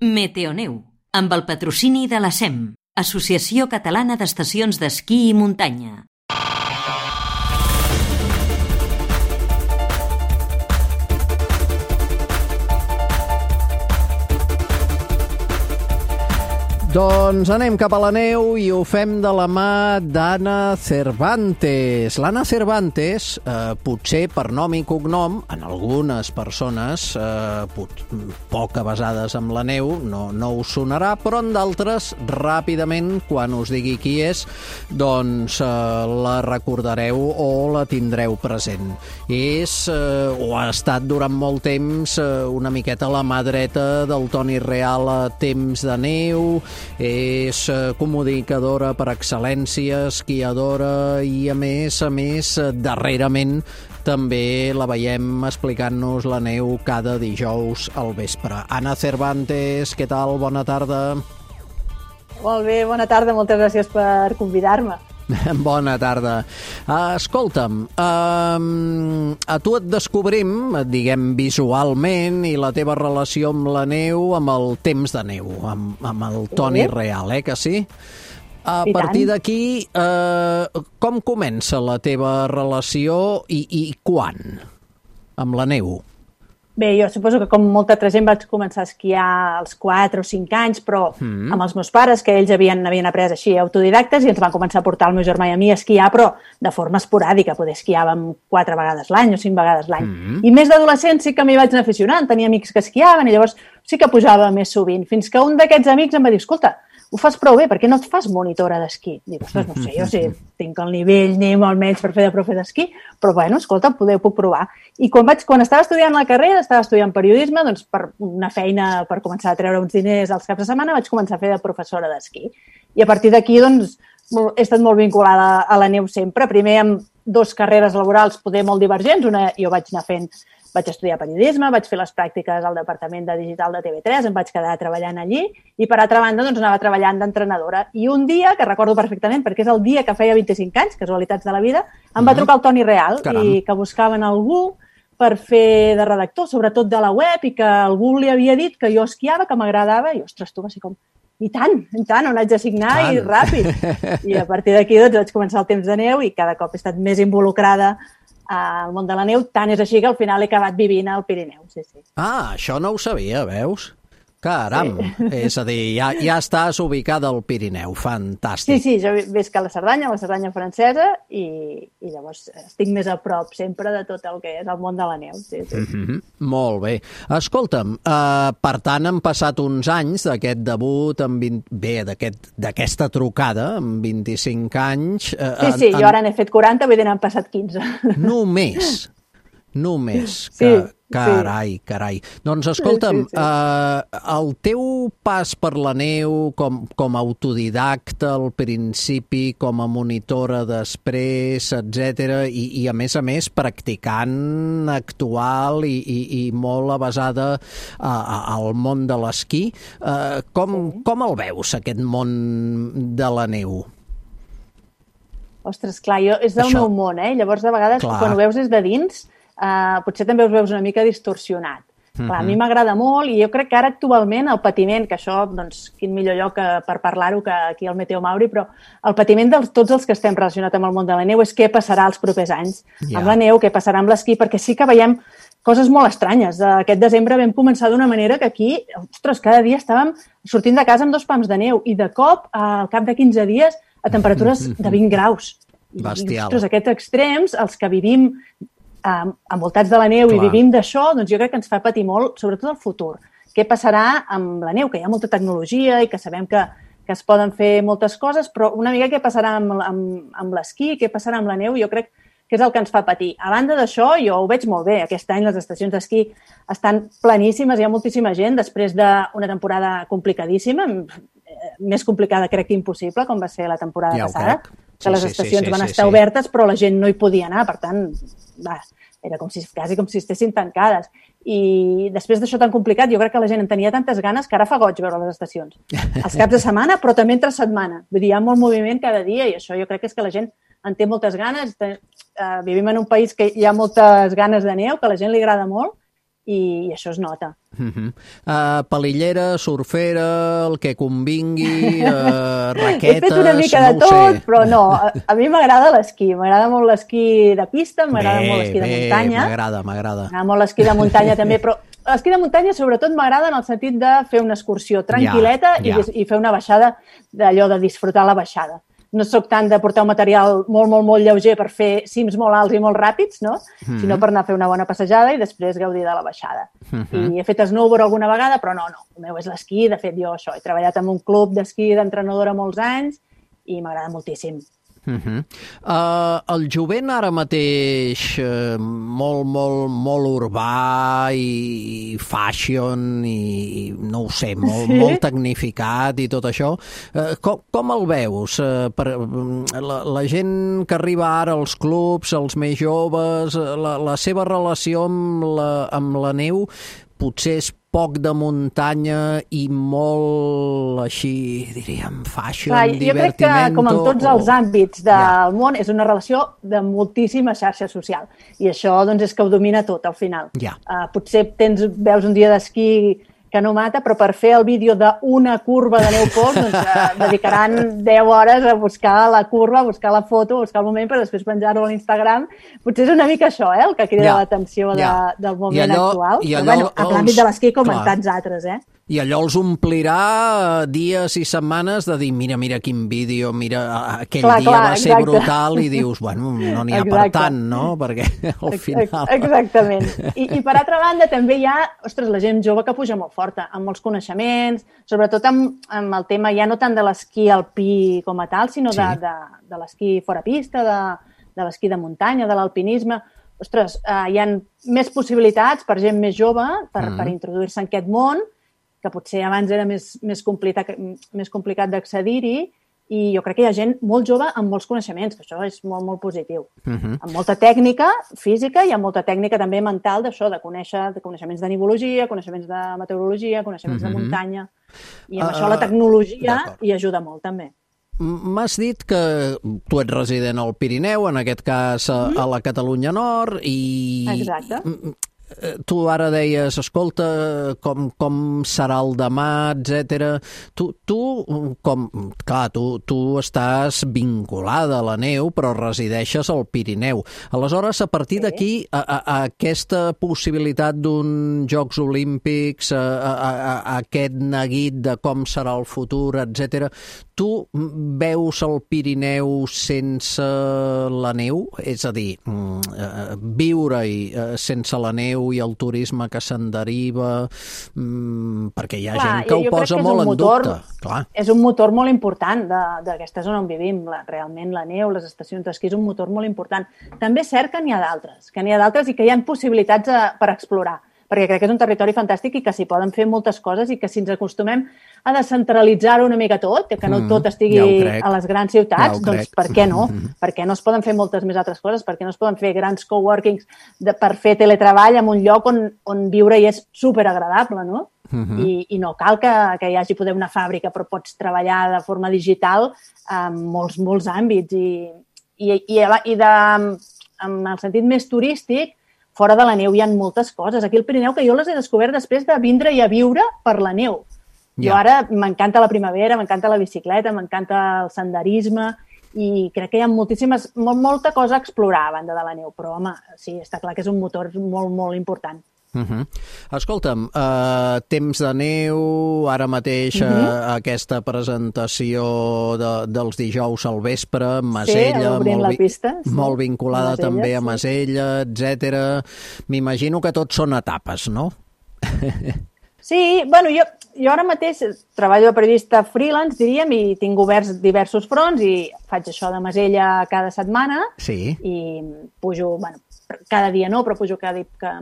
Meteoneu, amb el patrocini de la SEM, Associació Catalana d'Estacions d'Esquí i Muntanya. Doncs anem cap a la neu i ho fem de la mà d'Anna Cervantes. L'Anna Cervantes, potser per nom i cognom, en algunes persones poc avesades amb la neu, no us sonarà, però en d'altres, ràpidament, quan us digui qui és, doncs la recordareu o la tindreu present. És, o ha estat durant molt temps, una miqueta la mà dreta del Toni Real a temps de neu. És comunicadora per excel·lència, esquiadora i, a més, darrerament també la veiem explicant-nos la neu cada dijous al vespre. Anna Cervantes, què tal? Bona tarda. Molt bé, bona tarda. Moltes gràcies per convidar-me. Bona tarda. Escolta'm, a tu et descobrim, diguem, visualment, i la teva relació amb la neu, amb el temps de neu, amb el Toni Real, que sí? A partir d'aquí, com comença la teva relació i quan amb la neu? Bé, jo suposo que com molta altra gent vaig començar a esquiar als 4 o 5 anys, però amb els meus pares, que ells havien après així autodidactes, i ens van començar a portar el meu germà i a mi a esquiar, però de forma esporàdica. Poder esquiàvem 4 vegades l'any o 5 vegades l'any. I més d'adolescent sí que m'hi vaig anar aficionant, tenia amics que esquiaven i llavors sí que pujava més sovint, fins que un d'aquests amics em va dir: escolta, ho fas prou bé, per què no et fas monitora d'esquí? Dic, ostres, no sé, jo sí, tinc el nivell mínim almenys per fer de profe d'esquí, però bueno, escolta, puc provar. I quan estava estudiant la carrera, estava estudiant periodisme, doncs per una feina, per començar a treure uns diners als caps de setmana, vaig començar a fer de professora d'esquí. I a partir d'aquí, doncs, he estat molt vinculada a la neu sempre. Primer amb 2 carreres laborals poder molt divergents. Una, jo vaig estudiar periodisme, vaig fer les pràctiques al departament de digital de TV3, em vaig quedar treballant allí i, per altra banda, doncs, anava treballant d'entrenadora. I un dia, que recordo perfectament, perquè és el dia que feia 25 anys, casualitats de la vida, em va trucar el Toni Real i que buscaven algú per fer de redactor, sobretot de la web, i que algú li havia dit que jo esquiava, que m'agradava, i, ostres, tu, va ser com... I tant, on haig de signar i ràpid. I a partir d'aquí doncs, vaig començar el temps de neu i cada cop he estat més involucrada al món de la neu, tant és així que al final he acabat vivint al Pirineu. Sí. Això no ho sabia, veus? Caram! Sí. És a dir, ja estàs ubicada al Pirineu, fantàstic. Sí, jo visc a la Cerdanya francesa, i llavors estic més a prop sempre de tot el que és el món de la neu. Sí. Molt bé. Escolta'm, per tant, han passat uns anys d'aquest debut, d'aquesta trucada, amb 25 anys... Sí, jo ara n'he fet 40, vull dir, n'han passat 15. Només. Sí. Carai. Doncs escolta'm, el teu pas per la neu com a autodidacta al principi, com a monitora després, etc. I a més practicant actual i molt avesada al món de l'esquí, com el veus, aquest món de la neu? Ostres, clar, és del meu món, Llavors, de vegades, quan ho veus des de dins, potser també us veus una mica distorsionat. Clar, a mi m'agrada molt i jo crec que ara actualment el patiment, que això, doncs, quin millor lloc per parlar-ho que aquí al Meteo Mauri, però el patiment de tots els que estem relacionats amb el món de la neu és què passarà els propers anys amb la neu, què passarà amb l'esquí, perquè sí que veiem coses molt estranyes. Aquest desembre vam començar d'una manera que aquí, ostres, cada dia estàvem sortint de casa amb 2 pams de neu i de cop, al cap de 15 dies, a temperatures de 20 graus. Bestial. Ostres, aquests extrems, els que vivim envoltats de la neu i vivim d'això, doncs jo crec que ens fa patir molt, sobretot el futur. Què passarà amb la neu? Que hi ha molta tecnologia i que sabem que es poden fer moltes coses, però una mica què passarà amb l'esquí, què passarà amb la neu, jo crec que és el que ens fa patir. A banda d'això, jo ho veig molt bé. Aquest any les estacions d'esquí estan pleníssimes, hi ha moltíssima gent, després d'una temporada complicadíssima, més complicada crec que impossible, com va ser la temporada passada, que les estacions van estar obertes, però la gent no hi podia anar, per tant, era quasi com si estessin tancades. I després d'això tan complicat, jo crec que la gent en tenia tantes ganes que ara fa goig veure les estacions. Els caps de setmana, però també entre setmana. Vull dir, hi ha molt moviment cada dia i això jo crec que és que la gent en té moltes ganes. Vivim en un país que hi ha moltes ganes de neu, que a la gent li agrada molt i això es nota. Palillera, surfera, el que convingui, raquetes... He fet una mica de tot, però no, a mi m'agrada l'esquí, m'agrada molt l'esquí de pista, m'agrada molt l'esquí de muntanya. M'agrada. M'agrada molt l'esquí de muntanya també, però l'esquí de muntanya sobretot m'agrada en el sentit de fer una excursió tranquil·leta i fer una baixada, d'allò de disfrutar la baixada. No sóc tant de portar un material molt, molt, molt lleuger per fer cims molt alts i molt ràpids, no? Sinó per anar a fer una bona passejada i després gaudir de la baixada. I he fet snowboard alguna vegada, però no. El meu és l'esquí. De fet, jo he treballat en un club d'esquí d'entrenadora molts anys i m'agrada moltíssim. El jovent ara mateix molt urbà i fashion i no ho sé, molt tecnificat i tot això, com el veus? La gent que arriba ara als clubs, els més joves, la seva relació amb la neu potser és poc de muntanya i molt així, diríem, fashion, divertimento... Jo crec que, com en tots els àmbits del món, és una relació de moltíssima xarxa social. I això doncs, és que ho domina tot, al final. Potser veus un dia d'esquí que no mata, però per fer el vídeo d'una curva de neu pols, doncs dedicaran 10 hores a buscar la curva, a buscar la foto, a buscar el moment per després penjar-ho a l'Instagram. Potser és una mica això, el que crida l'atenció del moment actual. Però, en l'àmbit de l'esquí com en tants altres, I allò els omplirà dies i setmanes de dir, mira quin vídeo, mira, aquell dia va ser brutal, i dius, bueno, no n'hi ha per tant, no? Perquè al final... Exactament. I per altra banda també hi ha, la gent jove que puja molt forta, amb molts coneixements, sobretot amb el tema ja no tant de l'esquí alpí com a tal, sinó de l'esquí fora pista, de l'esquí de muntanya, de l'alpinisme. Hi ha més possibilitats per gent més jove per introduir-se en aquest món, que potser abans era més complicat d'accedir-hi, i jo crec que hi ha gent molt jove amb molts coneixements, que això és molt, molt positiu. Amb molta tècnica física i amb molta tècnica també mental d'això, de coneixements de nivologia, coneixements de meteorologia, coneixements de muntanya, i amb això la tecnologia hi ajuda molt també. M'has dit que tu ets resident al Pirineu, en aquest cas a la Catalunya Nord, i... Exacte. Tu ara deies, escolta, com serà el demà, etc. Tu estàs vinculada a la neu, però resideixes al Pirineu. Aleshores, a partir d'aquí, a aquesta possibilitat d'uns Jocs Olímpics, a aquest neguit de com serà el futur, etc., tu veus el Pirineu sense la neu? És a dir, viure-hi sense la neu i el turisme que se'n deriva, perquè hi ha gent que ho posa molt en dubte. És un motor molt important d'aquesta zona on vivim. Realment la neu, les estacions d'esquí és un motor molt important. També és cert que n'hi ha d'altres i que hi ha possibilitats per explorar, perquè crec que és un territori fantàstic i que s'hi poden fer moltes coses i que si ens acostumem a descentralitzar-ho una mica tot, que no tot estigui a les grans ciutats, doncs per què no? Per què no es poden fer moltes més altres coses? Per què no es poden fer grans coworkings per fer teletreball en un lloc on viure hi és superagradable, no? I no cal que hi hagi poder una fàbrica, però pots treballar de forma digital en molts àmbits. I en el sentit més turístic, fora de la neu hi ha moltes coses. Aquí al Pirineu, que jo les he descobert després de vindre-hi a viure per la neu. Jo ara m'encanta la primavera, m'encanta la bicicleta, m'encanta el senderisme i crec que hi ha molta cosa a explorar a banda de la neu. Però, home, sí, està clar que és un motor molt, molt important. Escolta'm, temps de neu, ara mateix aquesta presentació dels dijous al vespre, Masella, molt vinculada també a Masella, etc. M'imagino que tot són etapes, no? Sí, bueno, jo ara mateix treballo de periodista freelance, diríem, i tinc oberts diversos fronts i faig això de Masella cada setmana i pujo, bueno, cada dia no, però pujo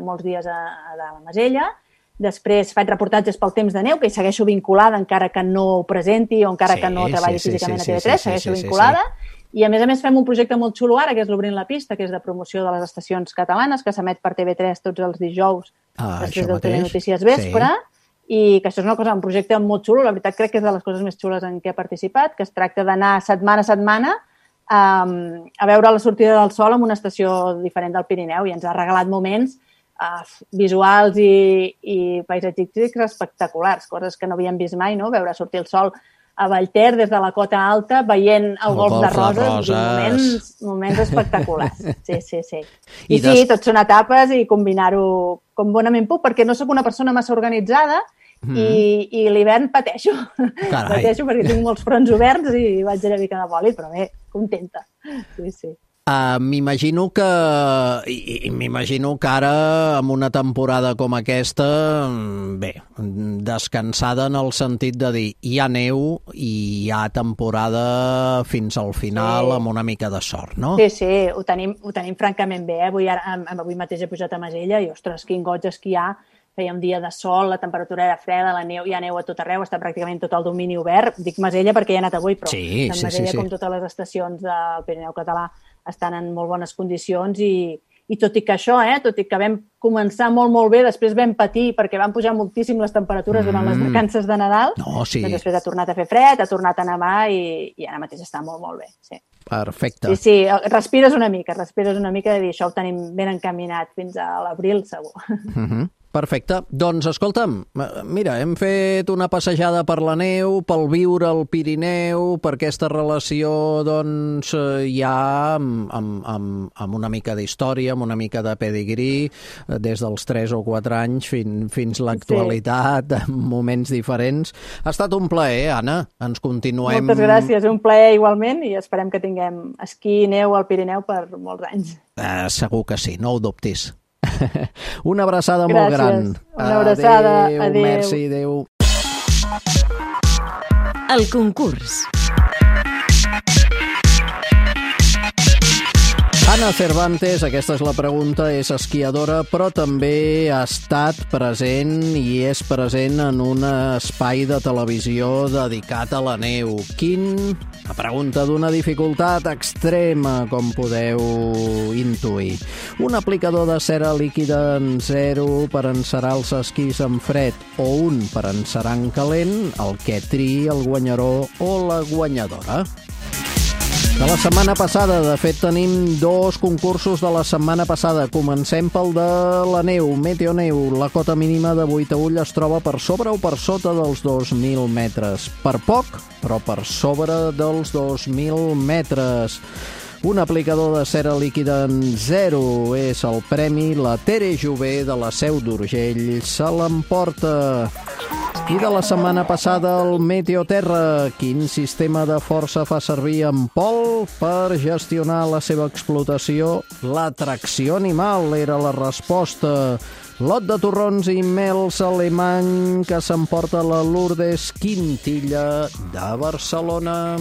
molts dies a la Masella. Després faig reportatges pel temps de neu, que hi segueixo vinculada encara que no ho presenti o encara que no treballi físicament a TV3, segueixo vinculada. I a més fem un projecte molt xulo ara, que és l'Obrint la Pista, que és de promoció de les estacions catalanes, que s'emet per TV3 tots els dijous després del Telenotícies Vespre. I que això és un projecte molt xulo, la veritat crec que és de les coses més xules en què he participat, que es tracta d'anar setmana a setmana a veure la sortida del sol en una estació diferent del Pirineu i ens ha regalat moments visuals i paisatgístics espectaculars, coses que no havíem vist mai, no? Veure sortir el sol a Vallter des de la cota alta veient el golf de Roses. Moments espectaculars. Sí. I sí, tot són etapes i combinar-ho com bonament puc, perquè no sóc una persona massa organitzada i l'hivern pateixo. Pateixo perquè tinc molts fronts oberts i vaig una mica de bòlit, però bé, contenta. Sí. M'imagino que ara, amb una temporada com aquesta, bé, descansada en el sentit de dir hi ha neu i hi ha temporada fins al final amb una mica de sort, no? Sí, ho tenim francament bé. Avui mateix he pujat a Masella i, ostres, quin goig esquiar. Feia un dia de sol, la temperatura era freda, hi ha neu a tot arreu, està pràcticament tot el domini obert. Dic Masella perquè hi he anat avui, però Masella, com totes les estacions del Pirineu català, estan en molt bones condicions i tot i que això, tot i que vam començar molt bé, després vam patir perquè van pujar moltíssim les temperatures durant les vacances de Nadal, doncs després ha tornat a fer fred, ha tornat a nevar i ara mateix està molt bé. Sí. Perfecte. Sí, respires una mica de dir això ho tenim ben encaminat fins a l'abril, segur. Perfecte. Doncs, escolta'm, mira, hem fet una passejada per la neu, pel viure al Pirineu, per aquesta relació, doncs, ja amb una mica d'història, amb una mica de pedigrí, des dels 3 o 4 anys fins l'actualitat, en moments diferents. Ha estat un plaer, Anna. Ens continuem... Moltes gràcies, un plaer igualment, i esperem que tinguem esquí i neu al Pirineu per molts anys. Segur que sí, no ho dubtis. Una abraçada molt gran. Una abraçada. Adéu. Merci, adéu. El concurs. Anna Cervantes, aquesta és la pregunta, és esquiadora, però també ha estat present i és present en un espai de televisió dedicat a la neu. La pregunta d'una dificultat extrema, com podeu intuir. Un aplicador de cera líquida en 0 per encerar els esquís en fred o un per encerar en calent, el que triï el guanyador o la guanyadora. De la setmana passada, de fet, tenim 2 concursos de la setmana passada. Comencem pel de la neu, Meteoneu. La cota mínima de Boitaüll es troba per sobre o per sota dels 2.000 metres. Per poc, però per sobre dels 2.000 metres. Un aplicador de cera líquida en 0 és el premi. La Tere Jové, de la Seu d'Urgell, se l'emporta. I de la setmana passada, el Meteoterra. Quin sistema de força fa servir en Pol per gestionar la seva explotació? La tracció animal era la resposta. Lot de torrons i mels alemany que s'emporta la Lourdes Quintilla de Barcelona.